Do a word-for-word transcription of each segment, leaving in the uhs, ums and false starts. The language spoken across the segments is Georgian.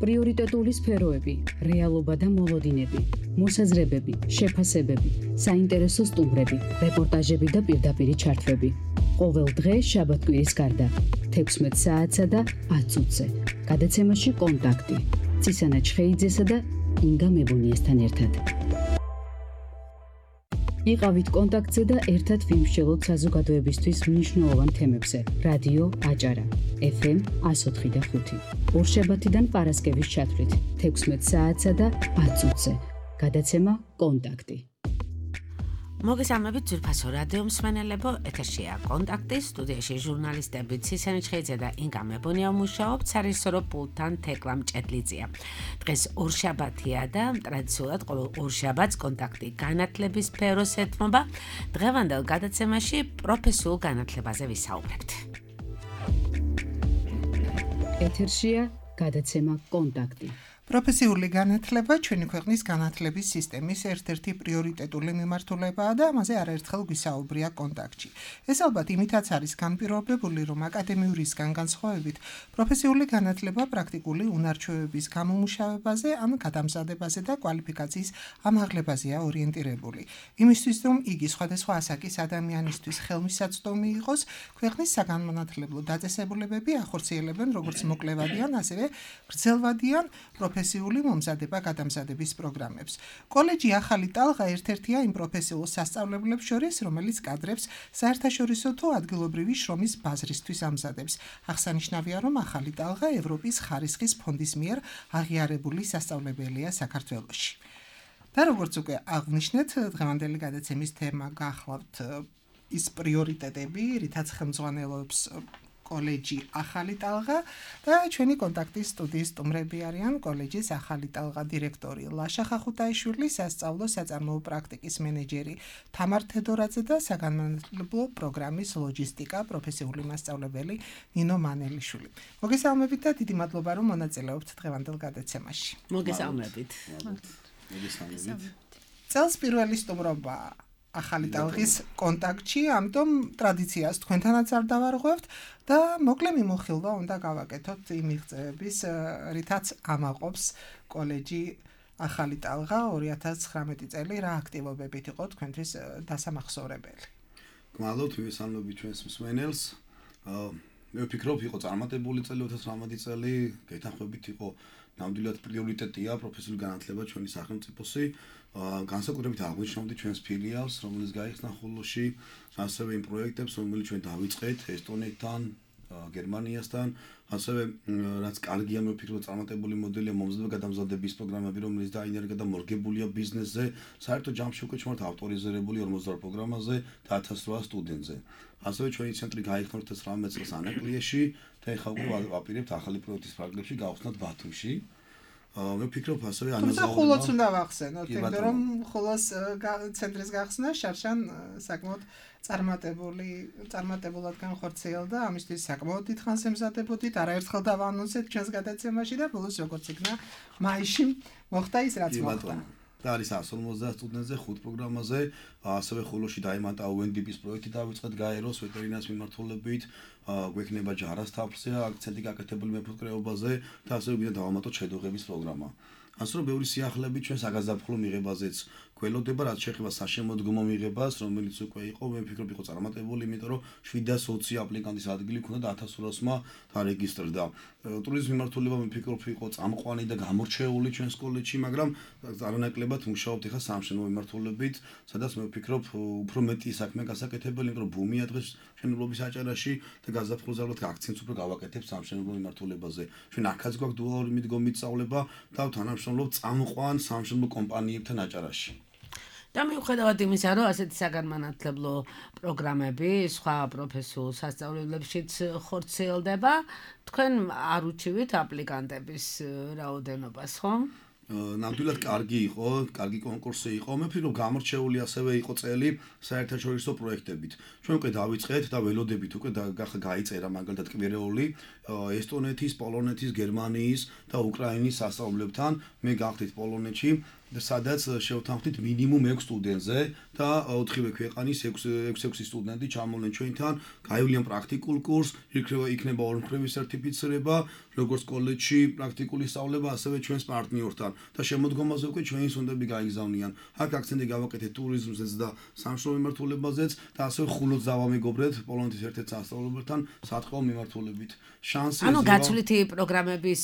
პრიორიტეტული სფეროები, რეალობა და მოლოდინები, მოსაზრებები, შეფასებები, საინტერესო სტუმრები, რეპორტაჟები და პირდაპირი ჩართვები. ყოველ დღე შაბათ-კვირის გარდა, თექვსმეტ საათსა და ათ წუთზე. გადაცემაში კონტაქტი. ცისანა ჩხეიძესა და ინგა მებონიესთან ერთად. იყავით კონტაქტზე და ერთად ვიმსჯელოთ საზოგადოებისთვის მნიშვნელოვან თემებზე. რადიო აჭარა, ეფ ემ εκατო ოთხი და ხუთი. ორშაბათიდან პარასკევის ჩათვლით, თექვსმეტ საათსა და ათ წუთზე. გადაცემა კონტაქტი. მოგესალმებით ძვირფასო რადიო მსმენელებო, ეთერშია კონტაქტი, სტუდიაში ჟურნალისტები ცისანა ჩხეიძე და ინგა მებონია მუშაობთ, სარისორო პულტთან თეკლა მჭედლიძეა. დღეს ორშაბათია და ტრადიციულად ყოველ ორშაბათს კონტაქტი განათლების სფეროს ეთმობა. დღევანდელ გადაცემაში პროფესიულ განათლებაზე ვისაუბრებთ. ეთერშია გადაცემა კონტაქტი. პროფესიული განათლება ჩვენი ქვეყნის განათლების სისტემის ერთ-ერთი პრიორიტეტული მიმართულებაა და ამაზე არაერთხელ გვისაუბრია კონტაქტში. ეს ალბათ იმითაც არის განპირობებული, რომ აკადემიურისგან განსხვავებით პროფესიული განათლება პრაქტიკული უნარჩვევების გამომუშავებაზე, ან გადამზადებაზე და კვალიფიკაციის ამაღლებაზეა ორიენტირებული. იმისთვის, რომ იგი სხვადასხვა ასაკის ადამიანისთვის ხელმისაწვდომი იყოს, ქვეყნის საგანმანათლებლო დაწესებულებები ახორციელებენ როგორც მოკლევადიან, ასევე გრძელვადიან პროფესიული მომზადება-გადამზადების პროგრამებს. კოლეჯი ახალი ტალღა ერთ-ერთია იმ პროფესიულ სასწავლებლებს შორის, რომელიც კადრებს საერთაშორისო თუ ადგილობრივი შრომის ბაზრისთვის ამზადებს. აღსანიშნავია, რომ ახალი ტალღა ევროპის ხარისხის ფონდის მიერ აღიარებული სასწავლებელია საქართველოში. და როგორც უკვე აღვნიშნეთ, დღევანდელი გადაცემის თემა გახლავთ ის პრიორიტეტები, რითაც ხელმძღვანელობს კოლეჯი ახალი ტალღა და ჩვენი კონტაქტის სტუდიის სტუმრები არიან კოლეჯის ახალი ტალღა დირექტორი ლაშა ხახუთაიშვილი, სასწავლო საწარმოო პრაქტიკის მენეჯერი თამარ თედორაძე და საგანმანათლებლო პროგრამის ლოჯისტიკა პროფესიული მასწავლებელი ნინო მანელიშვილი. მოგესალმებით და დიდი მადლობა, რომ მონაწილეობთ დღევანდელ გადაცემაში. მოგესალმებით. მოგესალმებით. წელს პირველი სტუმრობა ახალი ტალღის კონტაქტში, ამიტომ ტრადიციას თქვენთანაც არ დავარღვევთ და მოკლე მიმოხილვა უნდა გავაკეთოთ იმ მიღწევების, რითაც ამაყობს კოლეჯი ახალი ტალღა ორი ათას ცხრამეტი წელი, რა აქტივობებით იყო თქვენთვის დასამახსოვრებელი. გმადლობთ, მივესალმებით ჩვენს მსმენელს. მე ვფიქრობ, იყო წარმატებული წელი ორი ათას ცხრამეტი წელი, გეთანხმებით იყო ნამდვილად პრიორიტეტია პროფესიული განათლება ჩვენი სახელმწიფოსი. განსაკუთრებით აღვნიშნავდი ჩვენს ფილიალს, რომელიც გაიხსნა ხულოში, ასევე იმ პროექტებს, რომელიც ჩვენ დავიწყეთ ესტონეთთან, გერმანიასთან, ასევე რაც კარგია, მე ვფიქრობ, წარმატებული მოდელია მომზადება-გადამზადების პროგრამები, რომელიც დაინერგა და მორგებულია ბიზნესზე, საერთო ჯამში უკვე ჩვენ ავტორიზირებული ორმოცდაორ პროგრამაზე და ათას რვა სტუდენტზე. ასევე ჩვენი ცენტრი გაიხსნა ორი ათას ცხრამეტ წელს ანაკლიაში და ეხლა უკვე ვაპირებთ ახალი პროექტის ფრაგმენტში გავხსნათ ბათუმში. მე ვფიქრობ, ასევე ანაზაურება. თუმცა ხულოც უნდა ვახსენოთ, იმიტომ რომ ხულოს ცენტრის გახსნა შარშან საკმაოდ წარმატებული, წარმატებულად განხორციელდა, ამისთვის საკმაოდ დიდხანს ემზადებოდით, არაერთხელ დავანონსეთ ჩვენს გადაცემაში და ბოლოს როგორც იქნა მაისში მოხდა ის, რაც მოხდა. და არის εκατო ორმოცდაათ სტუდენტზე ხუთ პროგრამაზე, ასევე ხულოში დაემატა იუ ენ დი პის პროექტი დავიწყეთ გაეროს ვეტერინარს მიმართულებით, გვექნება ჯარას თაფლზე, აქცენტი გაკეთებული მეფუტკრეობაზე და ასევე მინდა დავამატოთ შედუღების პროგრამა. ასე რომ ბევრი სიახლეები ჩვენ საგაზაფხულო მიღებაზეც გველოდება, რაც შეეხება საშემოდგომო მიღებას, რომელიც უკვე იყო, მე ვფიქრობ, იყო წარმატებული, იმიტომ რომ შვიდას ოცი აპლიკანტის ადგილი ქონდა და ათას ორასმა დარეგისტრდა. ტურიზმის მიმართულება მე ვფიქრობ, იყო წამყვანი და გამორჩეული ჩვენს კოლეჯში, მაგრამ არანაკლებად მუშაობთ ახლა სამშენებლო მიმართულებით, სადაც მე ვფიქრობ, უფრო მეტი საქმე გასაკეთებელი, იმიტომ რომ ბუმია დღეს მშენებლობის აჭარაში და გაზაფხულზე ალბათ აქცენტს უფრო გავაკეთებთ სამშენებლო მიმართულებაზე. ჩვენ აქაც გვაქვს დუალური მიდგომით სწავლება და თანამშრომლობთ წამყვან სამშენებლო კომპანიებთან აჭარაში. და მიუხედავად იმისა, რომ ასეთი საგანმანათლებლო პროგრამები სხვა პროფესიულ სასწავლებლებშიც ხორციელდება, თქვენ არ უჩივით აპლიკანტების რაოდენობას, ხო? ნამდვილად კარგი იყო, კარგი კონკურსი იყო. მე ვფიქრობ, გამორჩეული ასევე იყო წელი საერთაშორისო პროექტებით. ჩვენ უკვე დავიწყეთ და ველოდებით უკვე გაიწერა მაგალითად კვირეული ესტონეთის, პოლონეთის, გერმანიის და უკრაინის სასწავლებლებთან. მე გავხდით პოლონეთში სადაც შევთანხმდით მინიმუმ ექვს სტუდენტზე და ოთხივე ქვეყანის ექვს-ექვსი სტუდენტი ჩამოვლენ ჩვენთან, გაივლიან პრაქტიკულ კურსს, იქნება ორმხრივი სერტიფიცირება, როგორც კოლეჯში პრაქტიკული სწავლება, ასევე ჩვენს პარტნიორთან და შემოდგომაზე უკვე ჩვენი სუნდები გაიგზავნიან. აქ აქცენტი გავაკეთეთ ტურიზმზეც და სამშობლო მიმართულებაზეც და ასევე ხულოც დავამეგობრეთ პოლონეთის ერთ-ერთ სასწავლებელთან საწყო მიმართულებით. შანსი ანუ გაცვლითი პროგრამების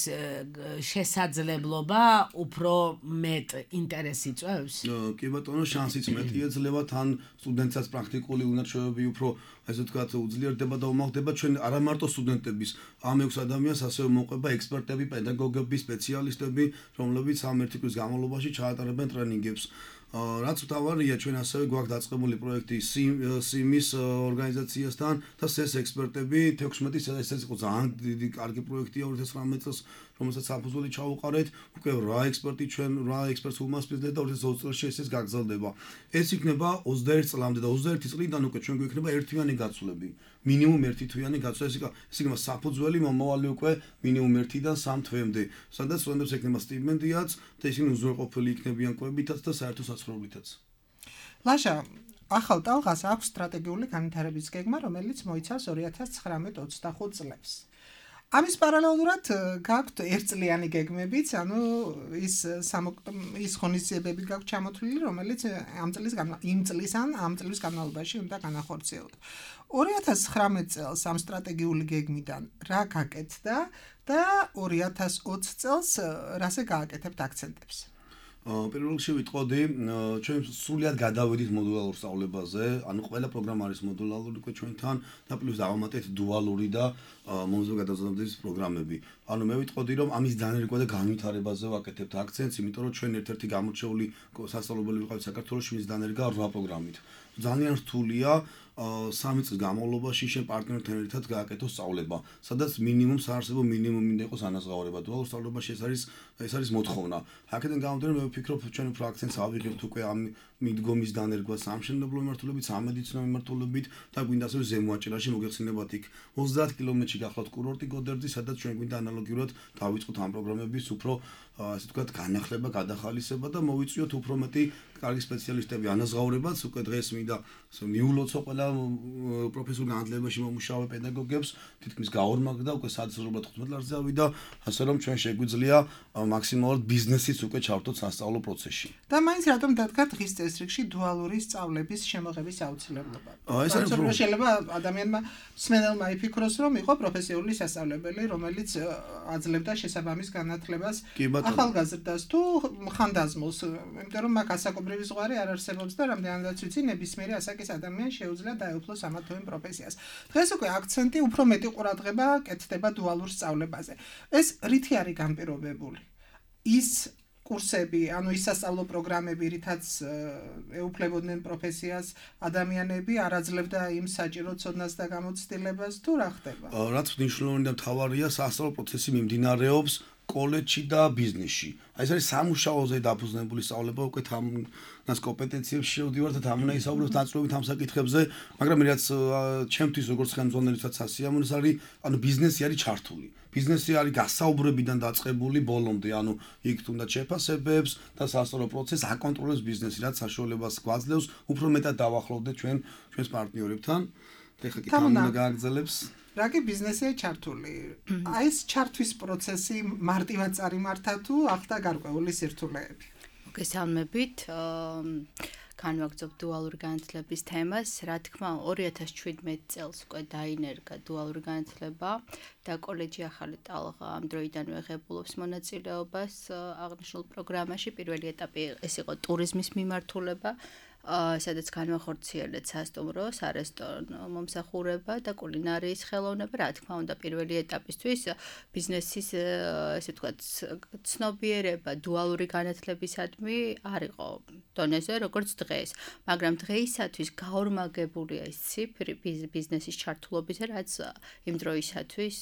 შესაძლებლობა უფრო მეტ ინტერესი წვევს? კი ბატონო, შანსიც მეტი ეძლევა, თან სტუდენტსაც პრაქტიკული უნარჩვევები უფრო ასე ვთქვათ უძლიერდება და უმაღდება ჩვენ არა მარტო სტუდენტების, ამ ექვს ადამიანს ასევე მოყვება ექსპერტები, პედაგოგები, სპეციალისტები, რომლებიც ამ ერთი კვირის განმავლობაში ჩაატარებენ ტრენინგებს. რაც მთავარია, ჩვენ ასევე გვაქვს დაწყებული პროექტი სიმის ორგანიზაციასთან და სეს ექსპერტები თექვსმეტი ეს იყო ძალიან დიდი კარგი პროექტია ორი ათას ცხრამეტ წელს, რომელსაც საფუძველი ჩაუყარეთ, უკვე რვა ექსპერტი ჩვენ რვა ექსპერტს უმასპინძლეთ და ორი ათას ოცდაოთხ წელს ეს გაგრძელდება. ეს იქნება ოცდაერთი წლამდე და ოცდაერთი წლიდან უკვე ჩვენ გვექნება ერთთვიანი გაცვლები. მინიმუმ ერთი თვიანი გაცვლა, ეს იქნება საფუძველი მომავალი უკვე მინიმუმ ერთიდან სამ თვემდე, სადაც სტუდენტებს ექნება სტიპენდიაც და ისინი უზრუნველყოფილი იქნებიან კვებითაც და საერთო საცხოვრებითაც. ლაშა, ახალ ტალღას აქვს სტრატეგიული განვითარების გეგმა, რომელიც მოიცავს ორი ათას ცხრამეტ ოცდახუთ წლებს. ამის პარალელურად გაქვთ ერთწლიანი გეგმებიც, ანუ ის ის ღონისძიებები გაქვთ ჩამოთვლილი, რომელიც ამ წლის იმ წლის ან ამ წლის განმავლობაში უნდა განახორციელოთ. ორი ათას ცხრამეტ წელს ამ სტრატეგიული გეგმიდან რა გაკეთდა და ორი ათას ოცი წელს რაზე გააკეთებთ აქცენტებს? პირველ რიგში ვიტყოდი, ჩვენ სრულად გადავედით მოდულარულ სწავლებაზე, ანუ ყველა პროგრამა არის მოდულარული უკვე ჩვენთან და პლუს დავამატეთ დუალური და მომზადებული გადაზრდების პროგრამები. ანუ მე ვიტყოდი, რომ ამის დანერგვა და განვითარებაზე ვაკეთებთ აქცენტს, იმიტომ რომ ჩვენ ერთ-ერთი გამორჩეული სასწავლებელი ვიყავით საქართველოში, მის დანერგა რვა პროგრამით. ძალიან რთულია სამი წლის განმავლობაში შენ პარტნიორთან ერთად გააკეთო სწავლება, სადაც მინიმუმ საარსებო მინიმუმი უნდა იყოს ანაზღაურება. დუალურ სწავლებაში ეს არის ეს არის მოთხოვნა. აქედან გამომდინარე, მე ვფიქრობ, ჩვენ უფრო აქცენტს ავიღებთ უკვე ამ მიდგომის დანერგვა სამშენებლო მიმართულებით, სამედიცინო მიმართულებით და გვინდა ასევე ზემოაჭერაში მოგეხსენებათ იქ ოცდაათ კილომეტრში გახლავთ კურორტი გოდერძი, სადაც ჩვენ გვინდა ანალოგიურად დავიწყოთ ამ პროგრამების უფრო ასე ვთქვათ განახლება, გადახალისება და მოვიწვიოთ უფრო მეტი კარგი სპეციალისტები ანაზღაურებაც. უკვე დღეს მინდა მიულოცო ყველა პროფესიულ განათლებაში მომუშავე პედაგოგებს, თითქმის გაორმაგდა, უკვე საათსრულად თხუთმეტ ლარზე ავიდა, ასე რომ ჩვენ შეგვიძლია მაქსიმალურად ბიზნესიც უკვე ჩავთოთ სასწავლო პროცესში. და მაინც რატომ დადგა დღის წესრიგში დუალური სწავლების შემოღების აუცილებლობა? ეს არის უფრო შეიძლება ადამიანმა მსმენელმა იფიქროს, რომ იყო პროფესიული სასწავლებელი, რომელიც აძლევდა შესაბამის განათლებას ახალგაზრდას თუ ხანდაზმულს, იმიტომ რომ მაგ ასაკობრივი ზღვარი არ არსებობს და რამდენადაც ვიცი, ნებისმიერი ასაკის ადამიანს შეუძლია დაეუფლოს ამა თუ იმ პროფესიას. დღეს უკვე აქცენტი უფრო მეტი ყურადღება კეთდება დუალურ სწავლებაზე. ეს რითი არის განპირობებული? ის კურსები, ანუ ის სასწავლო პროგრამები, რითაც ეუფლებოდნენ პროფესიას ადამიანები, არ აძლევდა იმ საჭირო ცოდნას და გამოცდილებას თუ რა ხდება? რაც მნიშვნელოვანი და მთავარია, სასწავლო პროცესი მიმდინარეობს კოლეჯში და ბიზნესში. აი ეს არის სამუშაოზე დაფუძნებული სწავლება, უკვე თამნას კომპეტენციებში შევდივართ და თამნაისაუბრებთ დაწვრობით ამ საკითხებზე, მაგრამ რაც ჩემთვის როგორც ხელმძღვანელსაც ასიამონს არის, ანუ ბიზნესი არის ჩართული. ბიზნესი არის გასაუბრებიდან დაწყებული ბოლომდე, ანუ იქ თუნდაც შეფასებებს და სასწავლო პროცესს აკონტროლებს ბიზნესი, რაც საშუალებას გვაძლევს უფრო მეტად დავახლოვდეთ ჩვენ ჩვენს პარტნიორებთან. ეხლა კი თამნა გააგრძელებს. რაკი ბიზნესია ჩართული? აი ეს ჩართვის პროცესი მარტივად წარიმართა თუ ახდა გარკვეული სირთულეები? მოგესალმებით. განვაგრძობ დუალური განათლების თემას. რა თქმა უნდა, ორი ათას შვიდმეტ წელს უკვე დაინერგა დუალური განათლება და კოლეჯი ახალი ტალღა ამ დროიდანვე ღებულობს მონაწილეობას აღნიშნულ პროგრამაში. პირველი ეტაპი ეს იყო ტურიზმის მიმართულება, სადაც განვახორციელეთ სასტუმრო, სარესტორნო მომსახურება და კულინარიის ხელოვნება. რა თქმა უნდა, პირველი ეტაპისთვის ბიზნესის ესე ვთქვათ ცნობიერება დუალური განათლებისადმი არ იყო დონეზე, როგორც დღეს, მაგრამ დღეისათვის გაორმაგებულია ეს ციფრი ბიზნესის ჩართულობისა, რაც იმ დროისათვის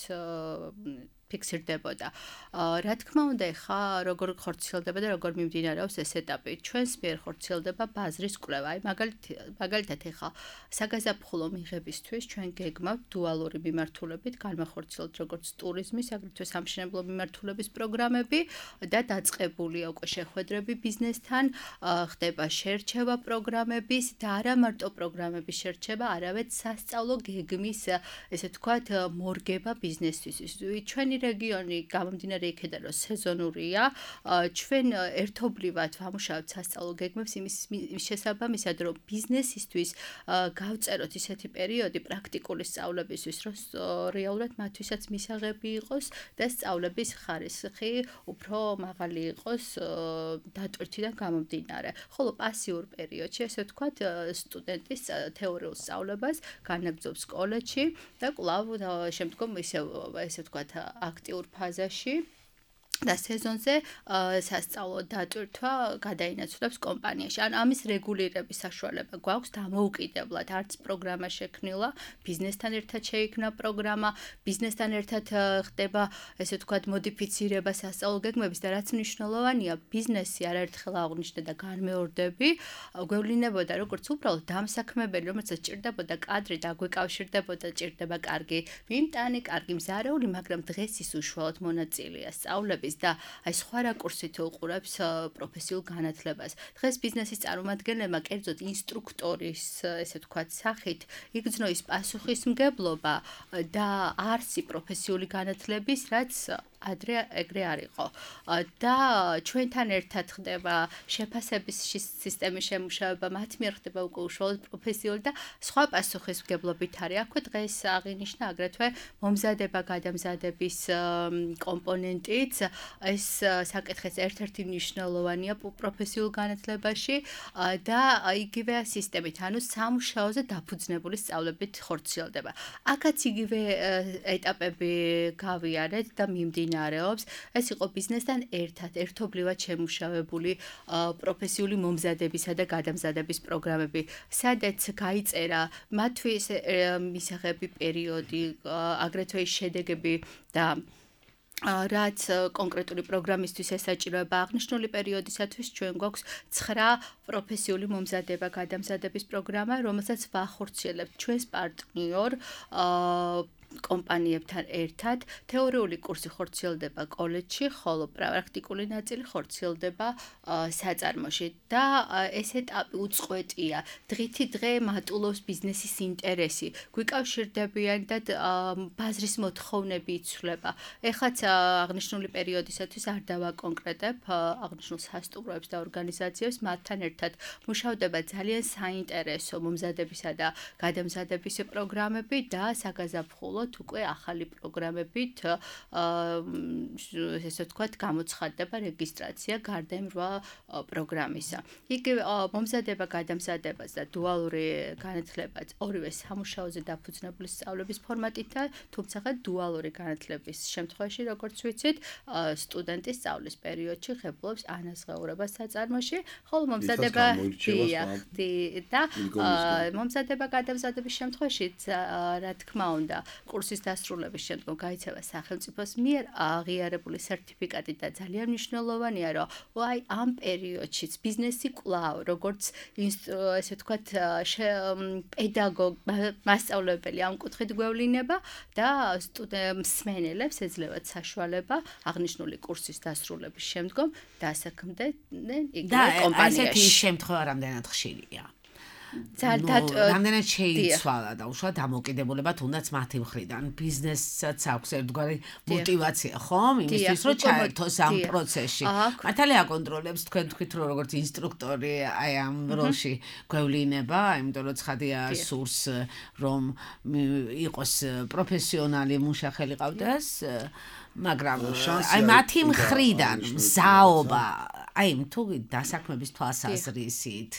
ფიქსირდებოდა. რა თქმა უნდა, ხა როგორ ხორციელდება და როგორ მიმდინარეობს ეს ეტაპი. ჩვენს მიერ ხორციელდება ბაზრის კვლევა. აი მაგალითად ხა საგაზაფხულო მიღებისთვის ჩვენ გეგმავთ დუალური მიმართულებით განმახორციელოთ როგორც ტურიზმის, აგრეთვე სამშენებლო მიმართულების პროგრამები და დაწყებულია უკვე შეხვედრები ბიზნესთან, ხდება შერჩევა პროგრამების და არა მარტო პროგრამების შერჩევა, არამედ სასწავლო გეგმის, ესე ვთქვათ, მორგება ბიზნესთვის. ჩვენი რეგიონი გამომდინარე იქედან რომ სეზონურია, ჩვენ ერთობლივად ვამუშავებთ სასწავლო გეგმებს იმის შესაბამისად, რომ ბიზნესისთვის გავწეროთ ისეთი პერიოდი პრაქტიკული სწავლებისთვის, რომ რეალურად მათთვისაც მისაღები იყოს და სწავლების ხარისხი უფრო მაღალი იყოს დატვირთიდან გამომდინარე. ხოლო პასიურ პერიოდში, ესე ვთქვათ, სტუდენტის თეორიულ სწავლებას განაგრძობს კოლეჯში და კვლავ შემდგომ ისევ ესე ვთქვათ აქტიურ ფაზაში და სეზონზე სასწავლო დატვირთვა გადაინაცვლებს კომპანიაში. ან ამის რეგულირების საშუალება გვაქვს დამოუკიდებლად, არც პროგრამა შექმნილა, ბიზნესთან ერთად შეიქმნა პროგრამა, ბიზნესთან ერთად ხდება, ესე ვთქვათ, მოდიფიცირება სასწავლო გეგმების და რაც მნიშვნელოვანია, ბიზნესი არაერთხელ აღნიშნა და განმეორდები, გვევლინებოდა როგორც უბრალოდ დამსაქმებელი, რომელსაც ჭირდებოდა კადრი და აგვიკავშირდებოდა, ჭირდება კარგი მიმტანი, კარგი მზარეული, მაგრამ დღეს ის უშუალოდ მონაწილეა სწავლების და აი სხვა რაკურსით უყურებს პროფესიულ განათლებას. დღეს ბიზნესის წარმომადგენლებმა კერძოდ ინსტრუქტორის, ესე ვთქვათ, სახით იგრძნო ის პასუხისმგებლობა და არსი პროფესიული განათლების, რაც ადრე ეგრე არ იყო. და ჩვენთან ერთად ხდება შეფასების სისტემის შემუშავება, მათ მიერ ხდება უკვე უშუალოდ პროფესიული და სხვა პასუხისმგებლობით არის. აქვე დღეს აღინიშნა აგრეთვე მომზადება გადამზადების კომპონენტიც. ეს საკითხის ერთ-ერთი მნიშვნელოვანია პროფესიულ განათლებაში და იგივე სისტემით, ანუ სამუშაოზე დაფუძნებული სწავლებით ხორციელდება. აქაც იგივე ეტაპები გავიარეთ და მიმდინარეობს. ეს იყო ბიზნესთან ერთად, ერთობლივად შემუშავებული პროფესიული მომზადებისა და გადამზადების პროგრამები, სადაც გაიწერა მათთვის მისაღები პერიოდი, აგრეთვე შედეგები და რაც კონკრეტული პროგრამისთვის ესაჭიროება აღნიშნული პერიოდისათვის ჩვენ გვაქვს ცხრა პროფესიული მომზადება გადამზადების პროგრამა, რომელსაც ვახორციელებთ ჩვენს პარტნიორ კომპანიებთან ერთად. თეორიული კურსი ხორციელდება კოლეჯში, ხოლო პრაქტიკული ნაწილი ხორციელდება საწარმოში და ეს ეტაპი უწყვეტია. დღითი დღე მატულობს ბიზნესის ინტერესი, გვიკავშირდებიან და ბაზრის მოთხოვნები იცვლება. ეხლაც აღნიშნული პერიოდისათვის არ დავაკონკრეტებ აღნიშნულ სასტუმროებს და ორგანიზაციებს, მათთან ერთად მუშავდება ძალიან საინტერესო მომზადებისა და გადამზადების პროგრამები და საგაზაფხულო უკვე ახალი პროგრამებით ესე ვთქვათ გამოცხადდება რეგისტრაცია გარდა იმ რვა პროგრამისა. იგივე მომზადება გადამზადებას და დუალური განათლებაც ორივე სამუშაოზე დაფუძნებული სწავლების ფორმატითაა, თუმცა დუალური განათლების შემთხვევაში, როგორც ვიცით, სტუდენტი სწავლის პერიოდში ღებულობს ანაზღაურებას საწარმოში, ხოლო მომზადება და მომზადება გადამზადების შემთხვევაში, რა თქმა უნდა, კურსის დასრულების შემდგომ გაიცემა სახელმწიფოს მიერ აღიარებული სერტიფიკატი და ძალიან მნიშვნელოვანია, რომ აი ამ პერიოდშიც ბიზნესი კვლავ, როგორც ესე ვთქვათ, პედაგოგ, მასწავლებელი ამ კუთხით გვევლინება და მსმენელებს ეძლევათ საშუალება აღნიშნული კურსის დასრულების შემდგომ დასაქმდნენ იგივე კომპანიაში. და ესეთი შემთხვევა რამდენად ხშირია? რამდენად შეიცვალა და უშუალოდ დამოკიდებულება თუნდაც მათი მხრიდან ბიზნესსაც აქვს ერთგვარი мотиваცია, ხომ? იმისთვის რომ ჩაერთოს ამ პროცესში. მართალი აკონტროლებს თქვენ თქვით რომ როგორც ინსტრუქტორი აი ამ როლში გვევლინება, იმიტომ რომ ცხადია სურს რომ იყოს პროფესიონალი მუშახელი ყავდეს, მაგრამ აი მათი მხრიდან მზაობა, აი თუ დასაქმების თვალსაზრისით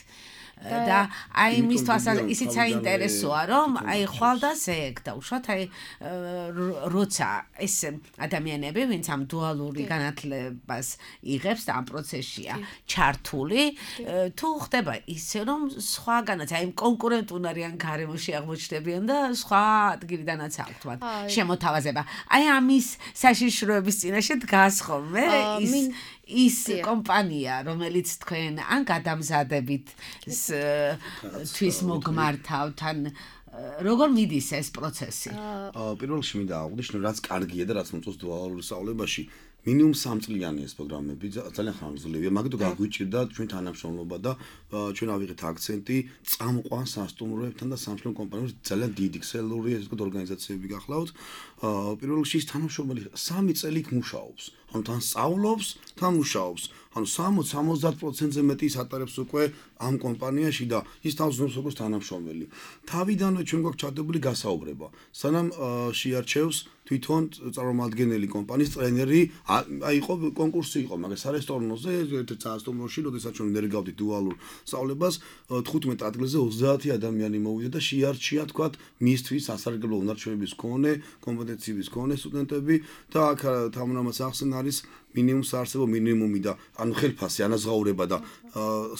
და აი მის თვალსაზრისით ისიც საინტერესოა რომ აი ხვალდა ზეგ და უშუალოდ აი როცა ეს ადამიანები ვინც ამ დუალური განათლებას იღებს და ამ პროცესშია ჩართული თუ ხდება ისე რომ სხვაგანაც აი კონკურენტუნარიან გარემოში აღმოჩნდებიან და სხვა ადგილიდანაც აქვთ მათ შემოთავაზება აი ამის საშიშროების წინაშე დგას ხოლმე ის ის კომპანია რომელიც თქვენ ან გადამზადებით თვის მოგმართავთ ან როგორ მიდის ეს პროცესი? პირველ რიგში მინდა აღვნიშნო რაც კარგია და რაც მოწონს დუალურ სწავლებაში მინიმუმ სამ წლიანი ეს პროგრამები ძალიან ხანგრძლივია მაგიტო გაგვიჭირდა ჩვენ თანამშრომლობა და ჩვენ ავიღეთ აქცენტი წამყვან სასტუმროებთან და სამშობლო კომპანიებს ძალიან დიდი ქსელური ეს თქვა ორგანიზაციები გახლავთ პირველ რიგში ის თანამშრომელი სამი წელი იქ მუშაობს ანუ თან სწავლობს თან მუშაობს ანუ სამოცდა სამოცდაათ პროცენტზე მეტი ის ატარებს უკვე ამ კომპანიაში და ის თავს ზნობს როგორც თანამშრომელი თავიდანვე ჩვენ გვაქვს ჩადებული გასაუბრება სანამ შეარჩევს თვითონ წარმომადგენელი კომპანიის ტრენერი აი იყო კონკურსი იყო მაგრამ სარესტორნოზე ერთ-ერთ სასტუმროში როდესაც ჩვენ ნერგავდით დუალურ სწავლებას თხუთმეტ ადგილზე ოცდაათი ადამიანი მოვიდა და შეარჩია თქვა მისთვის სასარგებლო უნარჩვევების მქონე კომპეტენციების მქონე სტუდენტები და აქ თამამაც ახსენ არის მინიმუმ საარსებო მინიმუმი და ანუ ხელფასი ანაზღაურება და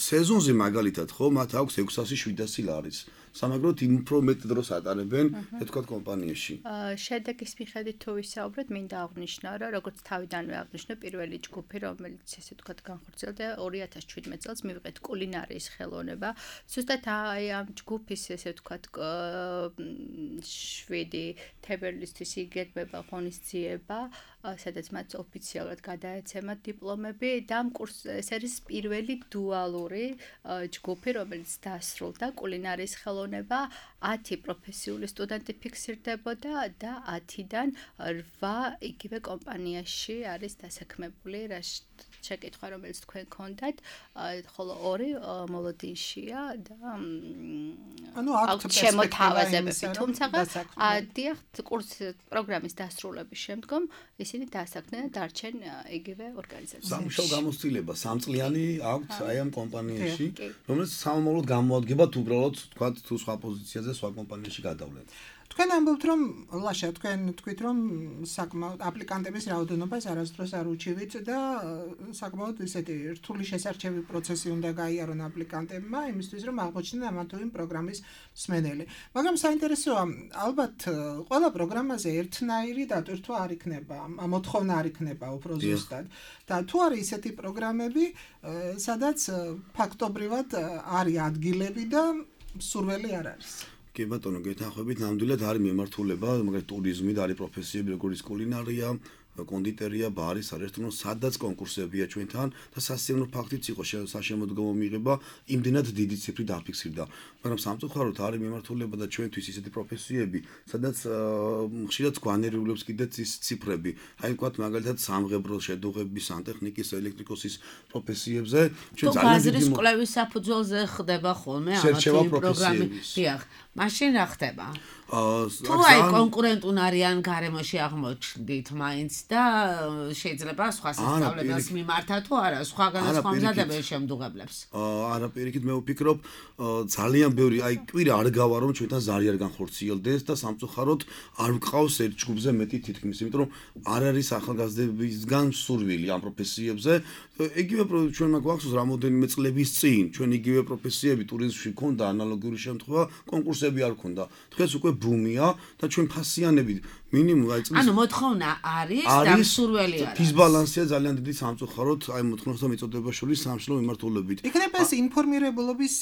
სეზონზე მაგალითად ხო მათ აქვს ექვსასი შვიდასი ლარის სამაგროდ იმ უფრო მეტ დროს ატარებენ ეთქვათ კომპანიაში შედეგის მიხედვით თუ ვისაუბრეთ მინდა აღვნიშნო რომ როგორც თავიდანვე აღვნიშნე პირველი ჯგუფი რომელიც ესე ვთქვათ განხორციელდა ორი ათას შვიდმეტ წელს მივიღეთ კულინარიის ხელოვნება ზუსტად აი ამ ჯგუფის ესე ვთქვათ შვიდი თებერვლისთვის იგეგმება ღონისძიება სადაც მათ ოფიციალურად გადაეცემათ დიპლომები და ამ კურსს ეს არის პირველი დუალური ჯგუფი რომელიც დასრულდა კულინარიის ხელოვნება ათი პროფესიული სტუდენტი ფიქსირდებოდა და ათიდან რვა იგივე კომპანიაში არის დასაქმებული რა შეკითხვა რომელიც თქვენ გქონდათ ხოლო ორი მოლოდინშია და ანუ აქ შემოთავაზებები თუმცა დიახ კურს პროგრამის დასრულების შემდგომ ისინი დასაქმდნენ და დარჩენ იგივე ორგანიზაციაში სამუშაო გამოცდილება სამწლიანი აქვთ აი ამ კომპანიაში რომელიც სამომავლოდ გამოადგებათ უბრალოდ თქვა თუ სხვა პოზიციაზე სხვა კომპანიაში გადავლენ თქვენ ამბობთ რომ ლაშა თქვენ თქვით რომ საკმაოდ აპლიკანტების რაოდენობას არასდროს არ უჩივით და საკმაოდ ისეთი რთული შესარჩევი პროცესი უნდა გაიარონ აპლიკანტებმა იმისთვის რომ აღმოჩნდნენ ამა თუ იმ პროგრამის მსმენელი მაგრამ საინტერესოა ალბათ ყველა პროგრამაზე ერთნაირი დატვირთვა არ იქნება მოთხოვნა არ იქნება უფრო ზუსტად და თუ არის ისეთი პროგრამები სადაც ფაქტობრივად არის ადგილები და სურველი არ არის კი ბატონო გეთანხმებით ნამდვილად არის მიმართულება მაგალითად ტურიზმი და არის პროფესიები როგორც კულინარია კონდიტერია, ბარი, სარესტორნო, სადაც კონკურსებია ჩვენთან და სასიამოვნო ფაქტიც იყო საშემოდგომო მიღება იმდენად დიდი ციფრი დაფიქსირდა. მაგრამ სამწუხაროდ არის მიმართულება და ჩვენთვის ისეთი პროფესიები, სადაც ხშირად გვანერიულებს კიდეც ის ციფრები. აი ვთქვათ მაგალითად სამღებრო შედუღების, სანტექნიკის, ელექტრიკოსის პროფესიებზე ჩვენ ძალიან დიდი კვლევის საფუძველზე ხდება ხოლმე ამათი პროგრამები. დიახ, მაშინ რა ხდება? თუ აი კონკურენტუნ არიან გარემოში აღმოჩნდით მაინც და შეიძლება სხვა სასწავლებლებს მიმართა თუ არა სხვა განსხვავებულ შემდგომლებს. არა პირიქით მე ვფიქრობ ძალიან ბევრი აი კვირა არ გავა რომ ჩვენთან ზარი არ განხორციელდეს და სამწუხაროდ არ ვყავს ერთ ჯგუფზე მეტი თითქმის იმიტომ რომ არ არის ახალგაზრდებისგან სურვილი ამ პროფესიებზე იგივე ჩვენმა გვახსოვს რამოდენიმე წლების წინ ჩვენ იგივე პროფესიები ტურიზმში ქონდა ანალოგიური შემთხვევა კონკურსები არ ქონდა დღეს უკვე ბუმია და ჩვენ ფასიანებით მინიმუმ აი წლის ანუ მოთხოვნა არის და სურველი არის დისბალანსია ძალიან დიდი სამწუხაროდ აი მოთხოვნასა და მიწოდება შორის სამშობლო მიმართულებით იქნებ ეს ინფორმირებულობის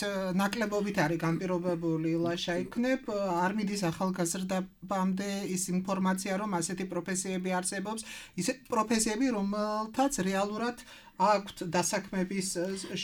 ნაკლებობით არის განპირობებული ლაშა იქნებ არ მიდის ახალგაზრდებამდე ის ინფორმაცია რომ ასეთი პროფესიები არსებობს ისეთ პროფესიები რომელთაც რეალურად აქვთ დასაქმების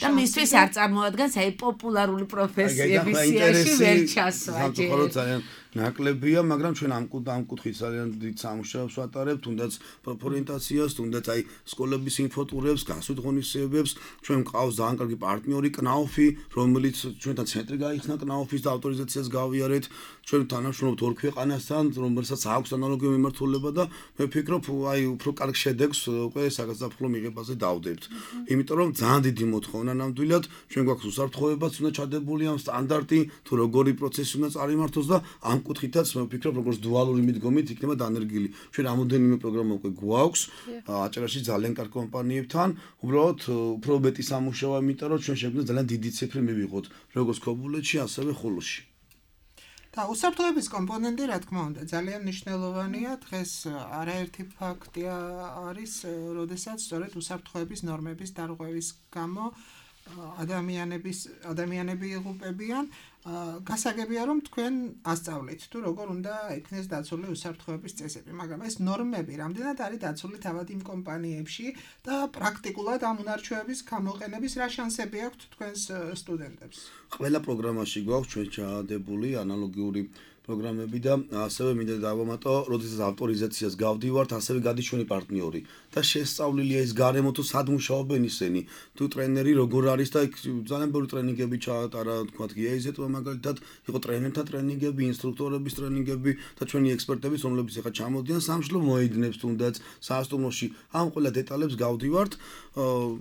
და მისთვის არ წარმოადგენს აი პოპულარული პროფესიების სიაში ვერ ჩასვა სამწუხაროდ ძალიან ნაკლებია, მაგრამ ჩვენ ამ ამ კუთხით ძალიან დიდ სამუშაოს ვატარებთ, თუნდაც პროფორიენტაციას, თუნდაც აი სკოლების ინფოტურებს, გასვით ღონისძიებებს, ჩვენ მყავს ძალიან კარგი პარტნიორი კნაუფი, რომელიც ჩვენთან ცენტრი გაიხსნა კნაუფის და ავტორიზაციას გავიარეთ ჩვენ თანამშრომლობთ ორ ქვეყანასთან, რომელსაც აქვს ანალოგიური მიმართულება და მე ვფიქრობ, აი უფრო კარგ შედეგს უკვე საგაზაფხულო მიღებაზე დავდებთ. იმიტომ რომ ძალიან დიდი მოთხოვნა ნამდვილად, ჩვენ გვაქვს უსაფრთხოებაც უნდა ჩადებული ამ სტანდარტი, თუ როგორი პროცესი უნდა წარიმართოს და ამ კუთხითაც მე ვფიქრობ, როგორც დუალური მიდგომით იქნება დანერგილი. ჩვენ რამოდენიმე პროგრამა უკვე გვაქვს, აჭარაში ძალიან კარგ კომპანიებთან, უბრალოდ უფრო მეტი სამუშაოა, იმიტომ რომ ჩვენ შეგვიძლია ძალიან დიდი ციფრი მივიღოთ, როგორც ქობულეთში, ასევე ხულოში. და უსაფრთხოების კომპონენტი, რა თქმა უნდა, ძალიან მნიშვნელოვანია. დღეს არაერთი ფაქტია არის, როდესაც სწორედ უსაფრთხოების ნორმების დარღვევის გამო ადამიანების ადამიანები იღუპებიან. გასაგებია რომ თქვენ ასწავლით თუ როგორ უნდა იქნეს დაცული უსაფრთხოების წესები, მაგრამ ეს ნორმები რამდენად არის დაცული თავად იმ კომპანიებში და პრაქტიკულად ამ უნარჩვევების გამოყენების რა შანსები აქვთ თქვენს სტუდენტებს? ყველა პროგრამაში გვაქვს ჩვენ ჩაადებული ანალოგიური პროგრამები და ასევე მინდა დავამატო, როდესაც ავტორიზაციას გავდივართ, ასევე გადის ჩვენი პარტნიორი და შესწავლილია ის გარემო თუ სად მუშაობენ ისინი, თუ ტრენერი როგორ არის და იქ ძალიან ბევრი ტრენინგები ჩაატარა, თქვათ გიაიზეტმა მაგალითად, იყო ტრენერთა ტრენინგები, ინსტრუქტორების ტრენინგები და ჩვენი ექსპერტები, რომლებიც ახლა ჩამოდიან სამშობლო მოედნებს თუნდაც საასტუმროში, ამ ყველა დეტალებს გავდივართ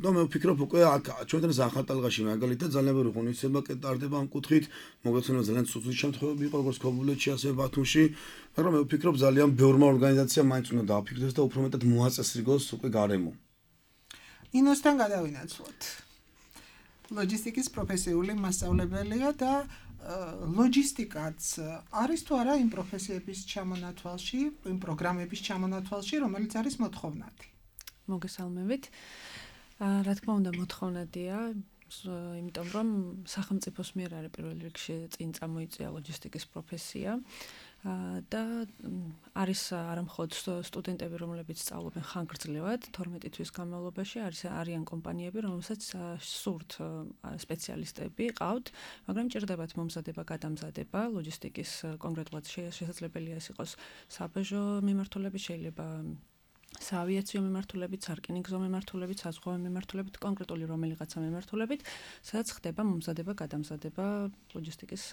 და მე ვფიქრობ უკვე აქ ჩვენთან ზახალტალღაში მაგალითად ძალიან ბევრი ღონისძიება კეტარდება ამ კუთხით, მოგეცნობა ძალიან ცუდი შემთხვევები იყო როგორც ქობულეთში, ასევე ბათუმში, მაგრამ მე ვფიქრობ ძალიან ბევრმა ორგანიზაციამ მაინც უნდა დააფიქრდეს და უფრო მეტად მოაწესრიგოს უკვე გარემო. ინოსთან გადავინაცვლოთ. ლოჯისტიკის პროფესიული მასწავლებელია და ლოჯისტიკაც არის თუ არა იმ პროფესიების ჩამონათვალში, იმ პროგრამების ჩამონათვალში, რომელიც არის მოთხოვნადი. მოგესალმებით. რა თქმა უნდა, მოთხოვნადია, იმიტომ რომ სახელმწიფოს მიერ არის პირველ რიგში წინ წამოიწია ლოჯისტიკის პროფესია და არის არა მხოლოდ სტუდენტები, რომლებიც სწავლობენ ხანგრძლივად, თორმეტი თვის განმავლობაში, არის არიან კომპანიები, რომელსაც სურთ სპეციალისტები ყავთ, მაგრამ ჭირდებათ მომზადება, გადამზადება, ლოჯისტიკის კონკრეტულად შესაძლებელია ეს იყოს საბაჟო მიმართულებით, შეიძლება საავიაციო მიმართულებით, სარკინიგზო მიმართულებით, საზღვაო მიმართულებით, კონკრეტული რომელიღაცა მიმართულებით, სადაც ხდება მომზადება, გადამზადება ლოჯისტიკის.